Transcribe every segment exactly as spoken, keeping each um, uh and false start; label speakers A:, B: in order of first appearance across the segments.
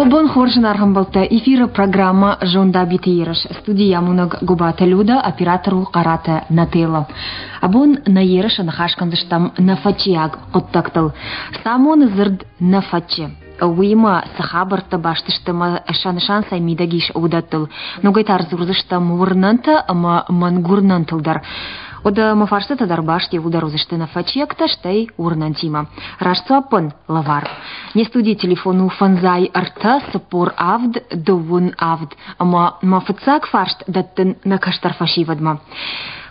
A: Уӕ бон хорз, зынаргъ ӕмбӕлттӕ! Эфиры программӕ «Зондабиты ерыс». Студийы амонӕг Гуыбаты Людӕ, оператор у Хъараты Нателла. Абон нӕ ерысы ныхас кӕндзыстӕм нӕфӕтчиаг хъуыддӕгтыл. Цы амоны дзырд нӕфӕтчы? Уыимӕ цы хабӕрттӕ баст сты ӕмӕ сӕ нысан цӕй мидӕг ис, уыдӕттыл. Ногӕй та ӕрдзурдзыстӕм уырнӕнтӕ ӕмӕ мӕнгуырнӕнтыл дӕр. Уӕдӕ мӕ фарстытӕ дӕр баст иууылдӕр уыдзысты нӕфӕтчиӕгтӕ, стӕй уырнӕнтимӕ. Раст дзуаппӕн лӕвар. Не студийы телефон у фӕндзай ӕртӕ цыппор авд дыууын авд. Ӕмӕ мӕ фыццаг фарст дӕттын нӕ кӕстӕр фӕсивӕдмӕ.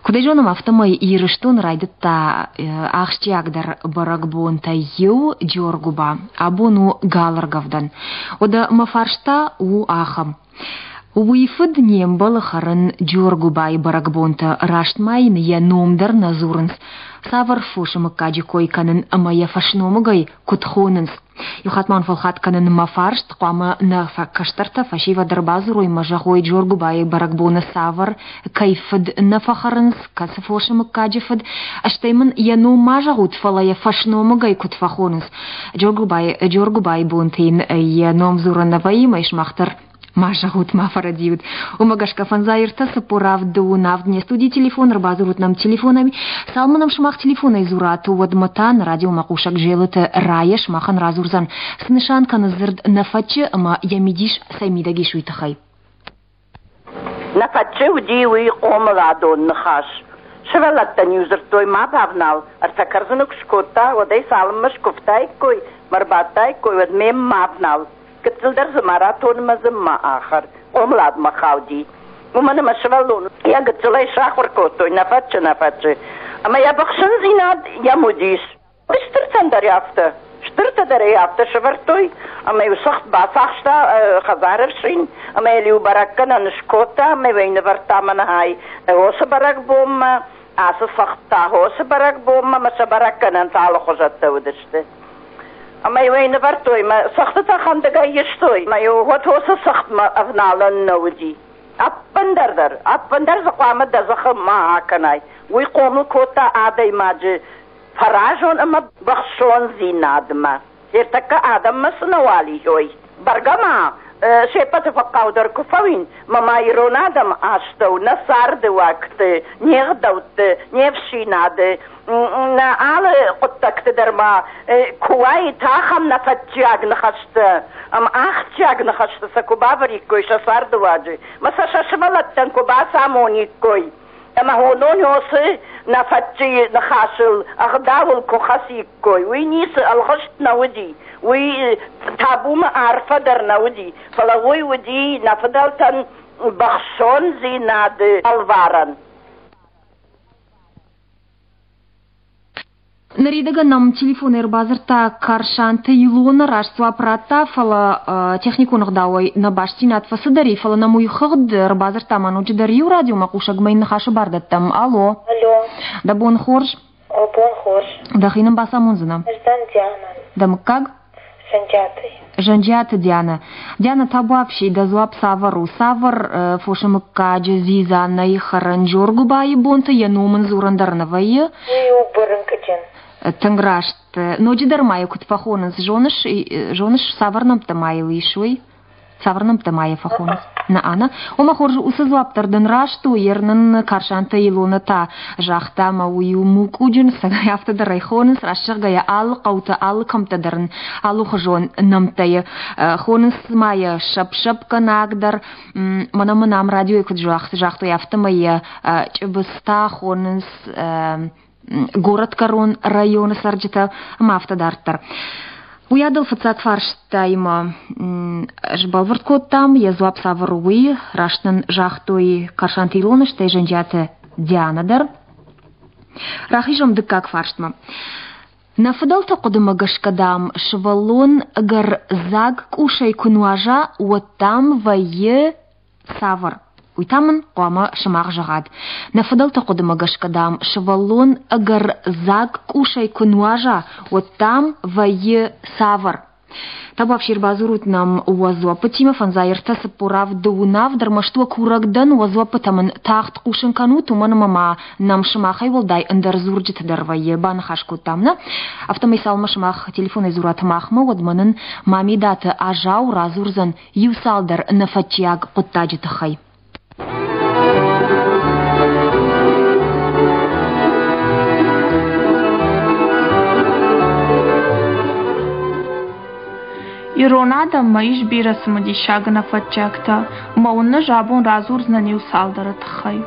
A: Куыд ӕй зонӕм, афтӕмӕй Ирыстоны райдыдта ахсджиагдӕр бӕрӕгбонтӕй иу Джоргуыба. Абон у галӕргӕвдӕн. Уӕдӕ мӕ фарст та у ахӕм. Уый фыд не мбӕлы хӕрын Джоргуыбайы бӕрӕгбонтӕ, раст ма йын йӕ ном дӕр нӕ дзурынц. Цавӕр фосы мыггаджы кой кӕнын ӕмӕ йӕ фӕсномыгӕй куыд хонынц? Иу хатт ма уын фӕлхатт кӕнын мӕ фарст, хъуамӕ нӕ кӕстӕртӕ фӕсивӕд ӕрбадзурой мӕ зӕгъой Джоргуыбайы бӕрӕгбоны цавӕр, кӕй фыд нӕ фӕхӕрынц, кӕцы фосы мыггаджы фыд, стӕй мын йӕ ном ма зӕгъут, фӕлӕ йӕ фӕсномыгӕй куыд фӕхонынц. Джоргуыбайы, Джоргуыбайы бонты йын йӕ ном дзурын нӕ вӕййы, мӕ сымах дӕр ма зӕгъут, ма фӕрӕдийут. Уымӕ гӕсгӕ фӕндзай ӕртӕ цыппор авд дыууын авд не студийы телефон, ӕрбадзурут нӕм телефонӕй. Цалынмӕ нӕм сымах телефонӕй дзурат, уӕдмӕ та нӕ радиомӕхъусӕг Зелыты Райӕ сымахӕн радзурдзӕн, цы нысан кӕны дзырд нӕфӕтчы ӕмӕ йӕ мидис цӕй мидӕг ис, уый тыххӕй.
B: Нӕфӕтчы уыди уый хъомыладон ныхас. Сывӕллӕттӕн-иу дзырдтой, ма бавнал, ӕртӕ кӕрдзыны куы скодта, уӕд ӕй цалынмӕ скуывтаиккой, мӕ рбадтаиккой, уӕд ме ма бавнал. Гыццылдӕр дзы ма ратон ӕмӕ дзы ма ахӕр. Хъомыладмӕ хауди. Уымӕн ӕмӕ сывӕллон йӕ гыццылӕй сахуыр кодтой, нӕ фӕтчы, нӕ фӕтчы. Ӕмӕ йӕ быхсындзинад йӕм уыдис. Стыртӕн дӕр афтӕ. Стыртӕ дӕр ӕй афтӕ сӕвӕрдтой, ӕмӕ-иу цыхт бацахста хӕдзары ӕфсин, ӕмӕ йыл-иу бӕрӕггӕнӕн скодта, ӕмӕ-иу ӕй нывӕрдта мӕнӕй хосы бӕрӕгбонмӕ, ацы цыхт та хосы бӕрӕгбонмӕ, ӕмӕ сӕ бӕрӕггӕнӕнтӕ алыхуызӕттӕ уыдысты. Ӕмӕ-иу ӕй нывӕрдтой, мӕ цыхтытӕ хӕндыгӕй истой, ӕмӕ-иу уӕд уыцы цыхтмӕ ӕвналӕн нӕ уыди. Ӕппындӕр дӕр, ӕппындӕр дзы хъуамӕ дӕ дзыхы ма акӕнай. Уый хъомыл кодта адӕймаджы фӕразон ӕмӕ бӕхсондзинадмӕ. Ӕртӕккӕ адӕммӕ цы нӕ уал ис, ой, бӕргӕ ма се ппӕты фӕхъхъау дӕр куы фӕуин, мӕ ма ирон адӕмы астӕу нӕ царды уӕгты, не гъдӕутты, не фсинады, нӕ алы хъуыддӕгты дӕр ма куы уаид ахӕм нӕфӕтчиаг ныхӕстӕ ӕмӕ ахсджиаг ныхӕстӕ сӕ куы бавӕриккой сӕ цардыуаджы, мӕ сӕ сӕ сывӕллӕттӕн куы бацамониккой, ӕмӕ уыдон уыцы нӕфӕтчыйы ныхасыл, ӕгъдауыл куы хӕциккой, уый ницы ӕлгъыст нӕ уыди, уый табумӕ арфӕ дӕр нӕ уыди, фӕлӕ уый уыди нӕ фыдӕлтӕн бӕхсондзинады ӕлварӕн.
A: Ныридӕгӕн нӕм телефонӕй ӕрбадзырдта Карсанты Илона, раст дзуапп радта, фӕлӕ техникон ӕгъдауӕй нӕ бастдзинад фӕцыдӕр и, фӕлӕ нӕм уый хыгъд ӕрбадзырдта ма ноджыдӕр иу радиомӕхъусӕгмӕ йын ныхасы бар дӕттӕм. Алло.
C: Алло.
A: Дӕ бон хорз.
C: О, бон хорз.
A: Дӕхи нын бацамондзынӕ?
C: Ӕз дӕн Диана.
A: Дӕ мыггаг?
C: Зӕнджиаты.
A: Зӕнджиаты Диана. Диана, табуафси, дӕ дзуапп цавӕр у? Цавӕр фосы мыггаджы дзидза нӕй хӕрӕн Джоргуыбайы бонты йӕ ном ын дзурӕн дӕр нӕ вӕййы?
C: Уый у бырынкъджын.
A: Тынг раст. Ноджыдӕр ма йӕ куыд фӕхонынц, зоныс, зоныс, цавӕр нӕмттӕ ма йыл ис, уый? Цавӕр нӕмттӕ ма йӕ фӕхонынц? Нӕ, Ана. Ома хорз, уыцы дзуапп дӕр дын раст у, ер нын Карсанты Илона та загъта, ӕмӕ уый у мукъуджын, цӕгӕй афтӕ дӕр ӕй хонынц, раст зӕгъгӕйӕ, алы хъӕутӕ, алы кӕмттӕ дӕр ын алыхуызон нӕмттӕ хонынц ма йӕ сӕпп-сӕпгӕнаг дӕр. Мӕнӕ мын ам радиойы куыд загътой, афтӕмӕй йӕ чъыбызтӕ хонынц горӕтгӕрон районы цӕрджытӕ ӕмӕ афтӕ дарддӕр. Уыйадыл фыццаг фарстаимӕ сбӕлвырд кодтам, йӕ дзуапп цавӕр у, уый. Раст нын загътой Карсанты Илона, стӕй Зӕнджиаты Диана дӕр. Рахизӕм дыккаг фарстмӕ. Нӕ фыдӕлты хъуыдымӕ гӕсгӕ, дам, сывӕллон ӕгӕр дзаг къусӕй куы нуаза, уӕд, дам, вӕййы цавӕр? Уый та мын хъуамӕ сымах зӕгъат. Нӕ фыдӕлты хъуыдымӕ гӕсгӕ, дам, сывӕллон ӕгӕр дзаг къусӕй куы нуаза, уӕд, дам, вӕййы цавӕр? Табуафси, ӕрбадзурут нӕм уӕ дзуаппытимӕ фӕндзай ӕртӕ цыппор авд дыууын авд, ӕрмӕст уӕ курӕг дӕн, уӕ дзуаппытӕ мын тагъд хъусын кӕнут, уымӕн ӕмӕ ма нӕм сымахӕй уӕлдай ӕндӕр дзурджытӕ дӕр вӕййы, баныхас кодтам, нӕ? Афтӕмӕй цалынмӕ сымах телефонӕй дзурат махмӕ, уӕдмӕ нын Мамедаты Азау радзурдзӕн иу цалдӕр нӕфӕтчиаг хъуыддаджы тыххӕй.
D: Ирон адӕммӕ ис бирӕ цымыдисаг нӕфӕтчиӕгтӕ, ӕмӕ уын ӕз абон радзурдзынӕн иу цалдӕры тыххӕй.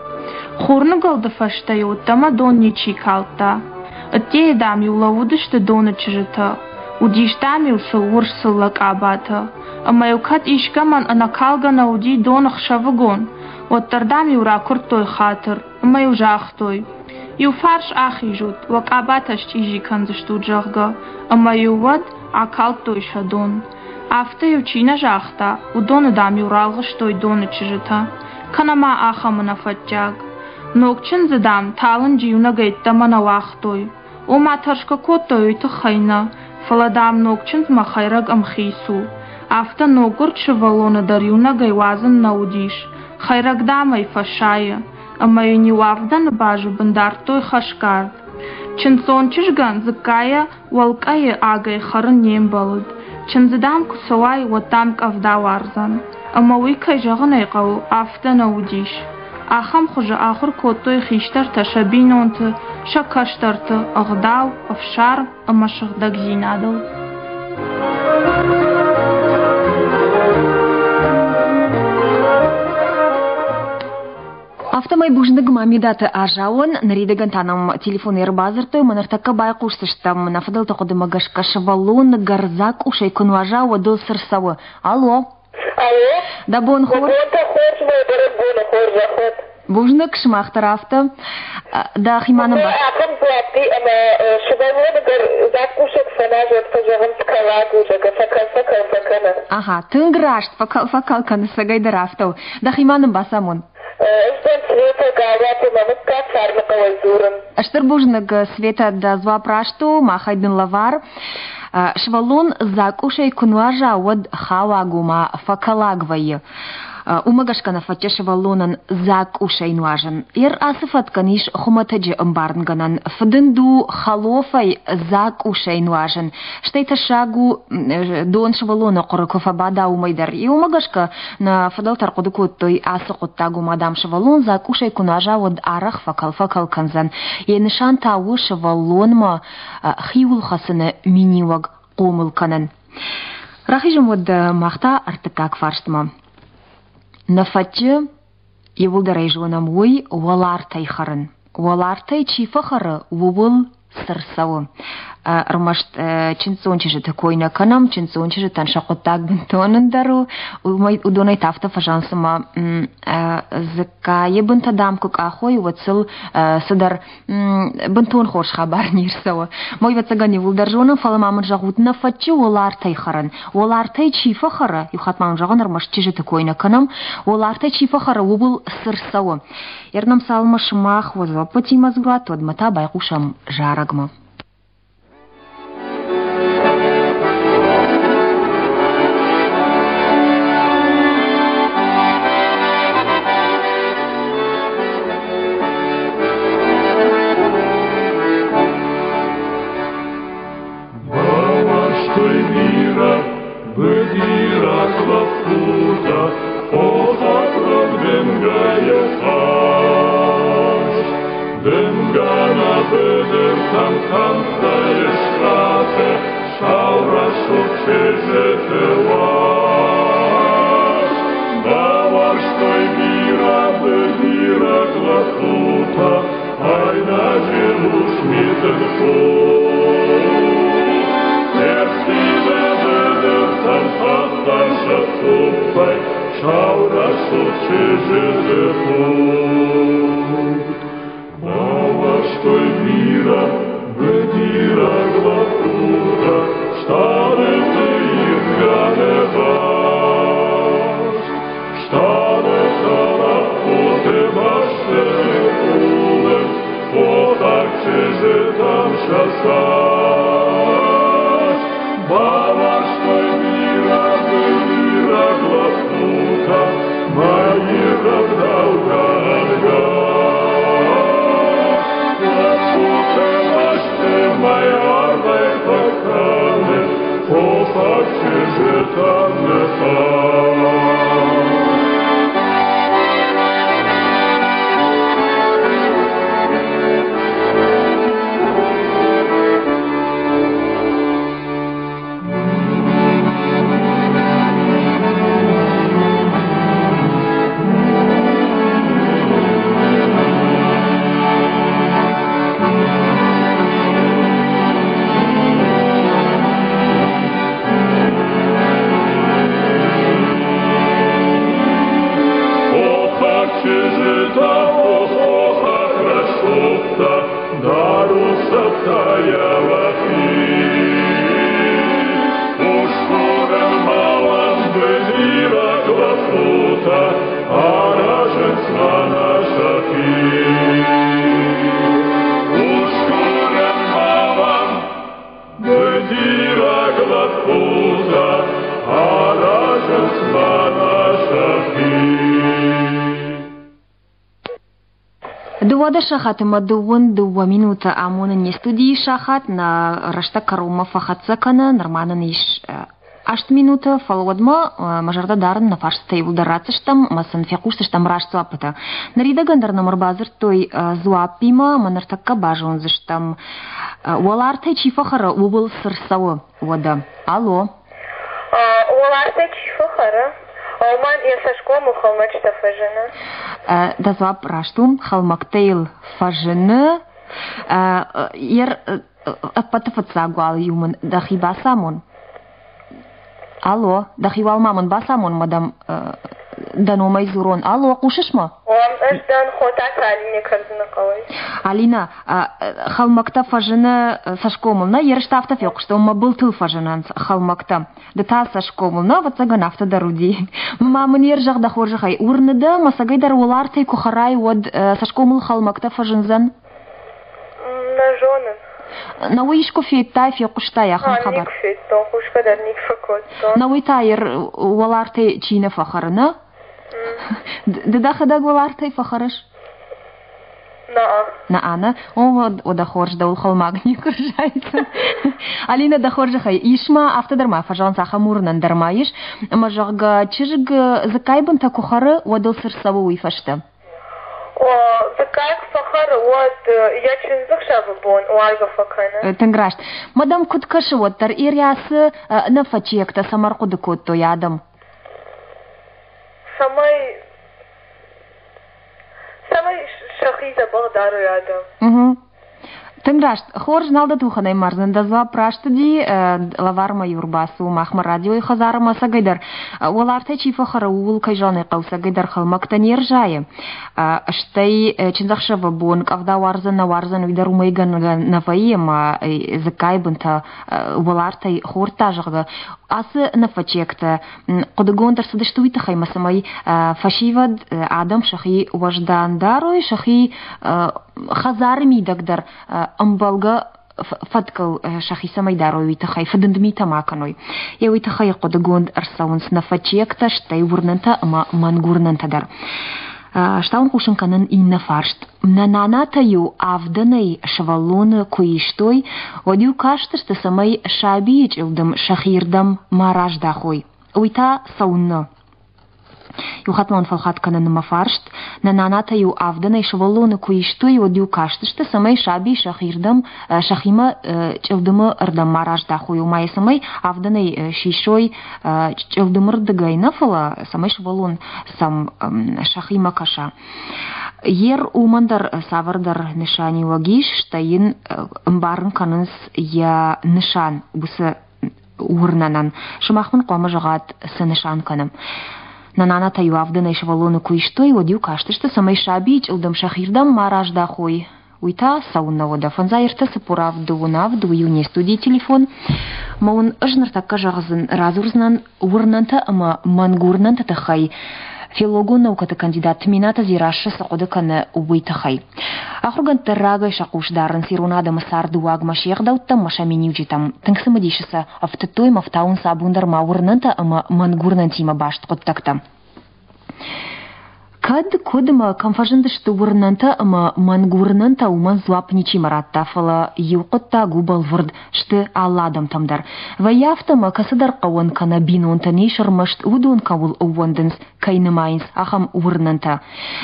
D: Хурныгуылды фӕстӕ-иу ӕддӕмӕ дон ничи калдта. Ӕддейы, дам-иу лӕууыдысты доны чызджытӕ. Уыдис, дам-иу сыл урс цыллӕ къабатӕ. Ӕмӕ-иу кӕд искӕмӕн ӕнӕкалгӕ нӕ уыди дон ӕхсӕвыгон, уӕддӕр, дам-иу ракуырдтой хатыр ӕмӕ-иу загътой: иу фарс ахизут, уӕ къабатӕ счъизи кӕндзыстут, зӕгъгӕ, ӕмӕ-иу уӕд акалдтой сӕ дон. Афтӕ-иу чи нӕ загъта, уыдоны, дам-иу ралгъыстой доны чызджытӕ. Кӕнӕ ма ахӕм ӕнӕфӕтчиаг. Ног чындзы, дам, талынджы иунӕгӕй ӕддӕмӕ нӕ уагътой. Ома тӕрсгӕ кодтой уый тыххӕй нӕ, фӕлӕ, дам, ног чындзмӕ хӕйрӕг ӕмхиц у. Афтӕ ноггуырд сывӕллоны дӕр иунӕгӕй уадзын нӕ уыдис. Хӕйрӕг, дам, ӕй фӕсайы. Ӕмӕ йын иу авдӕны базы бын дардтой хӕсгард. Чындздзон чызгӕн дзыккайӕ уӕлкъӕйы агӕй хӕрын не мбӕлыд. Чындзы, дам, куы цӕуай, уӕд, дам, къӕвда уардзӕн. Ӕмӕ уый, кӕй зӕгъын ӕй хъӕуы, афтӕ нӕ уыдис. Ахӕм хуызы ахуыр кодтой хистӕртӕ сӕ бинонты, сӕ кӕстӕрты ӕгъдау, ӕфсарм ӕмӕ сыгъдӕгдзинадыл.
A: Афтӕмӕй бузныг Мамедаты Азауӕн, ныридӕгӕн та нӕм телефонӕй ӕрбадзырдтой ӕмӕ ныртӕккӕ байхъусдзыстӕм нӕ фыдӕлты хъуыдымӕ гӕсгӕ сывӕллон гӕрзаг къусӕй куы нуаза, уӕд ыл цы рцӕуы. Алло!
C: Алло!
A: Дӕ бон хорз!
C: Бонтӕ хорз, мӕ бӕрӕгбоны хорзӕх уӕд!
A: Бузныг, сымах дӕр афтӕ. Дӕхимӕ нын
C: Мӕ ахӕм дзуапп и, ӕмӕ сывӕллоны гӕрзаг къусӕг фӕназӕд, фӕзӕгъынц кӕлаг у, зӕгъгӕ, фӕкӕл-фӕкӕл фӕкӕны.
A: Аха, тынг раст, фӕкӕл-фӕкӕл кӕны, цӕгӕйдӕр афтӕ у. Дӕхимӕ нын бацамон.
C: Ӕз дӕн Светӕ, Галуаты мӕ мыггаг Фарны хъӕуӕй дзурын.
A: Стыр бузныг, Светӕ, дӕ дзуапп раст у, махӕй дын лӕвар. Сывӕллон дзаг къусӕй куы нуаза, уӕд хауаг ома фӕкӕлаг вӕййы. Уымӕ гӕсгӕ нӕ фӕтчы сывӕллонӕн дзаг къусӕй нуазын. Ер ацы фӕткӕн ис хуымӕтӕджы ӕмбарынгӕнӕн. Фыдынд у хӕлофӕй дзаг къусӕй нуазын. Стӕй тӕссаг у дон сывӕллоны хъуыры куы фӕбада, уымӕй дӕр. Уымӕ гӕсгӕ нӕ фыдӕлтӕ ӕрхъуыды кодтой ацы хъуыддаг, ома, дам, сывӕллон дзаг къусӕй куы нуаза, уӕд арӕх фӕкӕл-фӕкӕл кӕндзӕн. Йӕ нысан та у сывӕллонмӕ хиуыл хӕцыны миниуӕг хъомыл кӕнын. Рахизӕм уӕд мах та ӕртыккаг фарстмӕ. Нӕ фӕтчы иууылдӕр ӕй зонӕм уый уӕлартӕй хӕрын. Уӕлартӕй чи фӕхӕры, ууыл цы рцӕуы? Ӕрмӕст чындздзон чызджыты кой нӕ кӕнӕм, чындздзон чызджытӕн сӕ хъуыддаг бынтон ӕндӕр у. Уыдонӕй та афтӕ фӕзӕгъынц, цыма дзыккайы бынтӕ, дам, куы къахой, уӕд сыл цыдӕр бынтон хорз хабар не рцӕуы. Мой ӕвӕццӕгӕн иууылдӕр зонӕм, фӕлӕ ма мын зӕгъут, нӕ фӕтчы уӕлартӕй хӕрын. Уӕлартӕй чи фӕхӕры, иу хатт ма уын зӕгъын, ӕрмӕст чызджыты кой нӕ кӕнӕм, уӕлартӕй чи фӕхӕры, ууыл цы рцӕуы? Ернӕм цалынмӕ сымах уӕ дзуаппытимӕ дзурат, уӕдмӕ та байхъусӕм зарӕгмӕ.
E: Бауарзтой бирӕ быдираг лӕппутӕ, хохаг лӕг дымгӕйы хъазт. Дымгӕ нӕ быдыртӕм кӕмттӕй ыскъӕфы сау рӕсугъд чызджыты уарзт. Бауарзтой бирӕ быдираг лӕппутӕ, айнӕджы рухс митын хур. Ӕрттивы быдыртӕм хӕхтӕн сӕ цъуппӕй сау рӕсугъд чызджыты хур. Бауарзтой бирӕ быдираг лӕппутӕ, стъалыты ирдгӕ ныхас. Стъалытӕ лӕппуты бӕсты ныкъулынц хохаг чызджытӕм сӕ цӕст. Бауарзтой
A: Дыууадӕс сахаты ӕмӕ дыууын дыууӕ минуты амоны не студийы сахат, нӕ рӕстӕг кӕронмӕ фӕхӕццӕ кӕны, нырма нын ис аст минуты, фӕлӕ уӕдмӕ мӕ зӕрдӕ дарын нӕ фарстытӕ иууылдӕр ратдзыстӕм ӕмӕ сын фехъусдзыстӕм раст дзуаппытӕ. Ныридӕгӕн дӕр нӕм ӕрбадзырдтой дзуаппимӕ ӕмӕ ныртӕккӕ базондзыстӕм, уӕлартӕй чи фӕхӕры, ууыл цы рцӕуы, уӕдӕ. Алло.
C: Уӕлартӕй чи фӕхӕры, уымӕн йӕ цӕсгомыл хӕлмӕгтӕ фӕзыны.
A: Дӕ дзуапп раст у, хӕлмӕгтӕ йыл фӕзыны. Йе ӕппӕты фыццаг уал-иу мын дӕхи бацамон. Алло, дӕхи уал ма мын бацамон, мадам, дӕ номӕй дзурон. Алло, хъусыс мӕ?
C: Ӕз дӕн Хотаты Алинӕ Кӕрдзыны хъӕуӕй.
A: Алина, хӕлмӕгтӕ фӕзыны цӕсгомыл, нӕ? Ерыстӕ афтӕ фехъуыстон, мӕ былтыл фӕзынынц хӕлмӕгтӕ. Ды та цӕсгомыл, нӕ, ӕвӕццӕгӕн, афтӕ дӕр уыди. Ма мын йе рзӕгъ дӕ хорзӕхӕй, уырны дӕ, мӕ цӕгӕй дӕр уӕлартӕй куы хӕрай, уӕд цӕсгомыл хӕлмӕгтӕ фӕзындзӕн?
C: Нӕ зонын.
A: На уый искуы федтай, фехъуыстай ахӕм хабар?
C: Никуы федтон, хъусгӕ дӕр никуы фӕкодтон.
A: На уый та уӕлартӕй чи нӕ фӕхӕры, нӕ? Ды дӕхӕдӕг уӕлартӕй фӕхӕрыс?
C: Наа.
A: Наа, нӕ? О, уӕдӕ хорз, дӕуыл хӕлмаг никуы рзайдзӕн. Алина, дӕ хорзӕхӕй, ис ма, афтӕ дӕр ма фӕзӕгъынц, ахӕм уырнӕн дӕр ма ис, ӕмӕ, зӕгъгӕ, чызг дзыккайы бынтӕ куы хӕры, уӕд ыл цы рцӕуы уый фӕстӕ?
C: Дзыккайы куы фӕхӕры, уӕд йӕ чындзыхсӕвы бон уаргӕ фӕкӕны.
A: Тынг раст. Мадам, куыд кӕсы, уӕддӕр Ириасы нӕ фӕчиӕгтӕ цӕмӕ ӕрхъуыды кодтой адӕм?
C: Цӕмӕй цӕмӕй сӕхи дзӕбӕх дарой адӕм.
A: Тынг раст. Хорз, нал дӕ тухӕнӕй мардзӕн. Дӕ дзуапп раст уыди. Лӕвармӕ-иу ӕрбацу махмӕ радиойы хӕдзармӕ ӕцӕгӕйдӕр. Уӕлартӕй чи фӕхӕры, ууыл, кӕй зӕгъын ӕй хъӕуы, ӕцӕгӕйдӕр хӕлмӕгтӕ не рзайы. Стӕй чындзӕхсӕвы бон къӕвда уардзӕн, нӕ уардзӕн, уый дӕр уымӕй гӕнгӕ нӕ вӕййы, ӕмӕ дзыккайы бынтӕ уӕлартӕй хордта, зӕгъгӕ. Ацы нӕфӕчиӕгтӕ хъуыдыгонд ӕрцыдысты уый тыххӕй, ӕмӕ цӕмӕй фӕсивӕд, адӕм сӕхи уӕздан дарой, сӕхи хӕдзары мидӕг дӕр ӕмбӕлгӕ фӕткыл сӕхи цӕмӕй дарой, уый тыххӕй фыдынд митӕ ма кӕной. Йӕ уый тыххӕй хъуыдыгонд ӕрцӕуынц нӕфӕчиӕгтӕ, стӕй уырнӕнтӕ ӕмӕ мӕнгуырнӕнтӕ дӕр. Стауын хъусын кӕнын иннӕ фарст. Нӕ нанатӕ-иу авдӕнӕй сывӕллоны куы истой, уӕд-иу кастысты, цӕмӕй сабийы чъылдым сӕхирдӕм ма раздахой. Уый та цӕуыннӕ? Иу хатт ма уын фӕлхатт кӕнын мӕ фарст. Нӕ нанатӕ-иу авдӕнӕй сывӕллоны куы истой, уӕд-иу кастысты, цӕмӕй саби сӕхирдӕм, сӕхимӕ чъылдымы ӕрдӕм ма раздахой, ома йӕ цӕмӕй авдӕнӕй сисой чъылдымы рдыгӕй нӕ, фӕлӕ цӕмӕй сывӕллон сӕм сӕхимӕ кӕса. Ер уымӕн дӕр цавӕрдӕр нысаниуӕг ис, стӕй йын ӕмбарын кӕнынц йӕ нысан уыцы уырнӕнӕн. Сымах мын хъуамӕ зӕгъат, цы нысан кӕны. Нӕ нанатӕ-иу авдӕнӕй сывӕллоны куы истой, уӕд-иу кастысты, цӕмӕй сабийы чъылдым сӕхирдӕм ма раздахой. Уый та цӕуыннӕ уӕдӕ? Фӕндзай ӕртӕ цыппор авд дыууын авд, уый у не студийы телефон. Мӕ уын ӕз ныртӕккӕ зӕгъдзӕн, радзурдзынӕн уырнӕнтӕ ӕмӕ мӕнгуырнӕнты тыххӕй филологон наукӕты кандидат Тменаты Дзерассӕ цы хъуыды кӕны, уый тыххӕй. Ахуыргӕндтӕ рагӕй сӕ хъус дарынц ирон адӕмы цардыуагмӕ, се гъдӕуттӕм ӕмӕ сӕ миниуджытӕм. Тынг цымыдисы сӕ ӕфтыдтой ӕмӕ ӕфтауынц абон дӕр ма уырнӕнтӕ ӕмӕ мӕнгуырнӕнтимӕ баст хъуыддӕгтӕ. Кӕд, куыд ӕмӕ кӕм фӕзындысты уырнӕнтӕ ӕмӕ мӕнгуырнӕнтӕ, уымӕн дзуапп ничима радта, фӕлӕ иу хъуыддаг у бӕлвырд, сты алы адӕмтӕм дӕр. Вӕййы афтӕ ӕмӕ кӕцыдӕр хъӕуӕн кӕнӕ бинонтӕн ис ӕрмӕст уыдон кӕуыл ӕууӕндынц, кӕй нымайынц, ахӕм уырнӕнтӕ.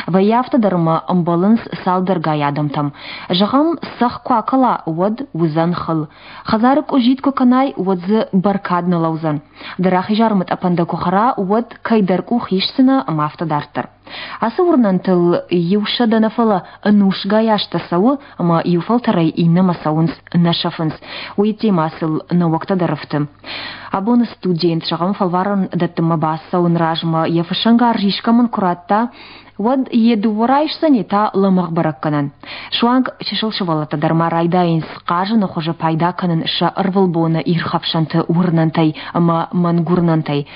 A: Вӕййы афтӕ дӕр ӕмӕ ӕмбӕлынц цалдӕргай адӕмтӕм. Зӕгъӕм, цӕхх куы акӕла, уӕд уыдзӕн хыл. Хӕдзары къуыззитт куы кӕнай, уӕд дзы бӕркад нӕ лӕудзӕн. Дӕ рахиз армытъӕпӕн дӕ куы хӕра, уӕд кӕйдӕр къух исдзынӕ ӕмӕ афтӕ дарддӕр. Ацы уырнӕнтыл иу сӕдӕ нӕ, фӕлӕ ӕнусгай азтӕ цӕуы ӕмӕ иу фӕлтӕрӕй иннӕмӕ цӕуынц, нӕ сӕфынц. Уый темӕ сыл нӕуӕгтӕ дӕр ӕфты. Абоны студент, зӕгъӕм, фӕлварӕн дӕттынмӕ бацӕуын размӕ йӕ фыссӕнгарз искӕмӕн куы радта, уӕд йе дыууӕ райсдзӕн, йе та лӕмӕгъ бӕрӕггӕнӕн. Суанг чысыл сывӕллӕттӕ дӕр ма райдайынц хъазыны хуызы пайда кӕнын сӕ ӕрвылбоны ирхӕфсӕнты уырнӕнтӕй ӕмӕ мӕнгуырнӕнтӕй.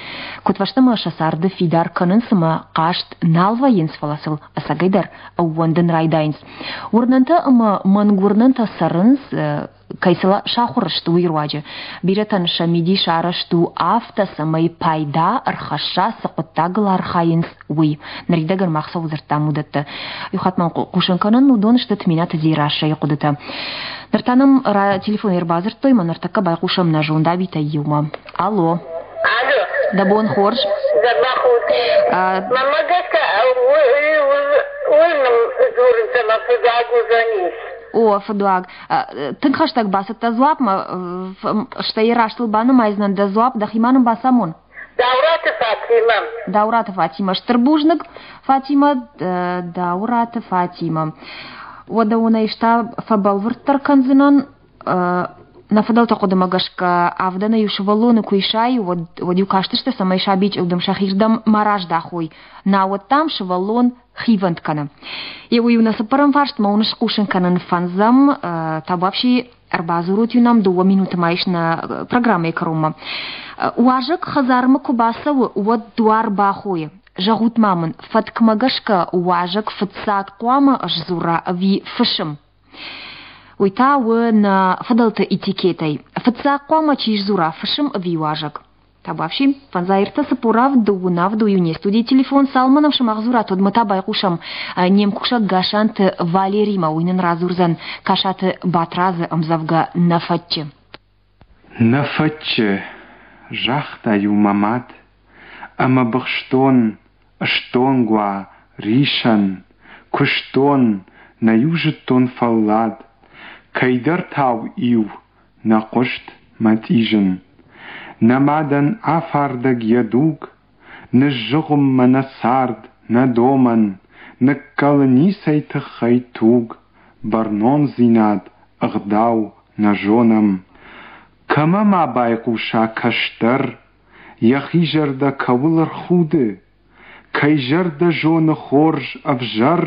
A: Куыдфӕстӕмӕ сӕ царды фидар кӕнынц ӕмӕ хъазт нал вӕййынц, фӕлӕ сыл ӕцӕгӕйдӕр ӕууӕндын райдайынц. Уырнӕнтӕ ӕмӕ мӕнгуырнӕнтӕ цӕрынц, кӕй сыл сахуыр сты, уый руаджы. Бирӕтӕн сӕ мидис арӕзт у афтӕ, цӕмӕй пайда ӕрхӕсса, цы хъуыддагыл архайынц, уый. Ныридӕгӕн мах цӕуыл дзырдтам, уыдӕттӕ. Иу хатт ма хъусын кӕнын, уыдон сты Тменаты Дзерассӕйы хъуыдытӕ. Ныр та нӕм телефонӕй ӕрбадзырдтой, мӕ ныртӕккӕ байхъусӕм нӕ зондабитӕй иумӕ. Алло.
C: Алло.
A: Дӕ бон хорз.
C: Дӕ бон. Мӕнмӕ гӕсгӕ уый дзурынц ӕмӕ фыдуаг уыдзӕнис.
A: О, фыдуаг. Тынг хӕстӕг бацыдтӕ дзуапмӕ, стӕй растыл банымайдзынӕн дӕ дзуапп, дӕхимӕ нын бацамон.
C: Даураты Фатимӕ.
A: Даураты Фатимӕ. Стыр бузныг, Фатимӕ, Даураты Фатимӕ. Уӕдӕ уын ӕз та фӕбӕлвырддӕр кӕндзынӕн. Нӕ фыдӕлты хъуыдымӕ гӕсгӕ авдӕны иу сывӕллоны куы исай, уӕд, уӕд-иу кастысты, цӕмӕй саби чъылдым сӕхирдӕм ма раздахой. Науӕд, дам, сывӕллон хивӕнд кӕны. Еуӕй-иу нӕ цыппӕрӕм фарстмӕ уын схъусын кӕнын фӕндзӕм, табуафси ӕрбадзурут-иу нӕм дыууӕ минуты ма ис нӕ программӕйы кӕронмӕ. Уазӕг хӕдзармӕ куы бацӕуы, уӕд дуар бахойы. Зӕгъут ма мын, фӕткмӕ гӕсгӕ уазӕг фыццаг хъуамӕ сдзура ӕви фысым? Уый та у нӕ фыдӕлты этикетӕй. Фыццаг хъуамӕ чи сдзура, фысым ӕви уазӕг? Табуафси, фӕндзай ӕртӕ цыппор авд дыууын авд у не студийы телефон. Цалынмӕ нӕм сымах дзурат, уӕдмӕ та байхъусӕм не мкусӕг Гасанты Валеримӕ. Уый нын радзурдзӕн Касаты Батрадзы ӕмдзӕвгӕ «Нӕ фӕтчы».
F: Нӕ фӕтчы, загъта-иу мӕ мад, ӕмӕ быхстон, стонг уа, рисӕн, куыстон, нӕ-иу зыдтон фӕллад, кӕйдӕртау-иу нӕ хъуыст мӕ тъизын. Нӕ мадӕн афардӕг йӕ дуг, ныззыгъуыммӕ нӕ цард, нӕ домӕн, ныккӕлы ницӕй тыххӕй туг, бӕрнондзинад, ӕгъдау нӕ зонӕм. Кӕмӕ ма байхъуса кӕстӕр, йӕхи зӕрдӕ кӕуыл ӕрхуды, кӕй зӕрдӕ зоны хорз ӕвзӕр,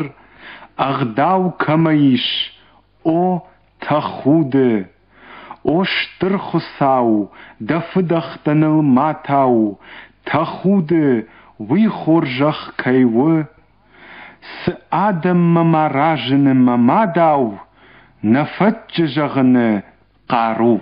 F: ӕгъдау кӕмӕ ис, о, тӕхуды! О Стыр Хуыцау, дӕ фыдӕхтӕ ныл ма тау, тӕхуды, уый хорзӕх кӕй у! Цы адӕммӕ ма разыны мӕ мадау, нӕ фӕтчы зӕгъыны хъару.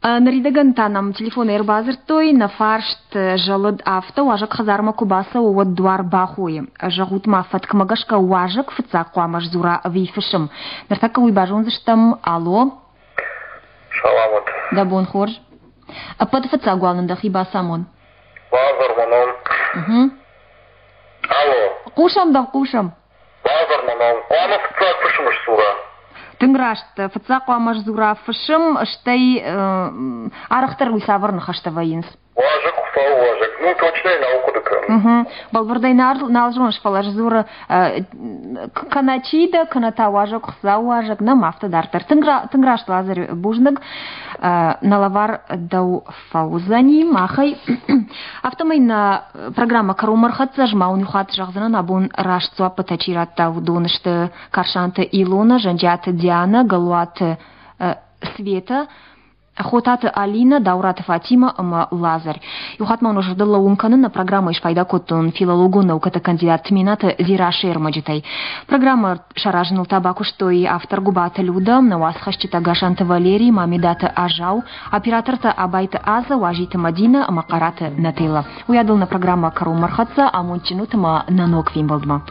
A: Ныридӕгӕн та нӕм телефонӕй ӕрбадзырдтой, нӕ фарст зӕлыд афтӕ, уазӕг хӕдзармӕ куы бацӕуы, уӕд дуар бахойы. Зӕгъут ма, фӕткмӕ гӕсгӕ уазӕг фыццаг хъуамӕ сдзура ӕви фысым? Ныртӕккӕ уый базондзыстӕм. Алло.
G: Салам ут.
A: Дӕ бон хорз. Ӕппӕты фыццаг уал нын дӕхи бацамон.
G: Лазар мӕ ном. Алло.
A: Хъусӕм дӕм, хъусӕм.
G: Лазар мӕ ном. Хъуамӕ фыццаг фысым сдзура.
A: Тынг раст. Фыццаг хъуамӕ сдзура фысым, стӕй арӕхдӕр уый цавӕр ныхӕстӕ вӕййынц?
G: Уазӕг, Хуыцауы уазӕг. Ну, точно нал хъуыды кӕнын.
A: Бӕлвырдӕй нал зоныс, фӕлӕ сдзуры кӕнӕ чи дӕ, кӕнӕ та уазӕг, Хуыцауы уазӕг, нӕм афтӕ дарддӕр. Тынг раст, Лазарь, бузныг. Нӕ лӕвар дӕу фӕуыдзӕни махӕй. Афтӕмӕй нӕ программӕ кӕронмӕ ӕрхӕццӕ, ӕз ма уын иу хатт зӕгъдзынӕн, абон раст дзуаппытӕ чи радта, уыдон сты Карсанты Илона, Зӕнджиаты Диана, Галуаты Света, Хотаты Алина, Даураты Фатима ӕмӕ Лазарь. Иу хатт ма уын зӕрдыл лӕууын кӕнын, нӕ программӕйы спайда кодтон филологон наукӕты кандидат Тменаты Дзерассӕйы ӕрмӕджытӕй. Программӕ саразыныл та бакуыстой автор Гуыбаты Люда, нӕ уацхӕсджытӕ Гасанты Валерий, Мамедаты Азау, оператортӕ Абайты Аза, Уазиты Мадина ӕмӕ Хъараты Нателла. Уыйадыл нӕ программӕ кӕронмӕ ӕрхӕццӕ, амондджын ут ӕмӕ нӕ ног фембӕлдмӕ.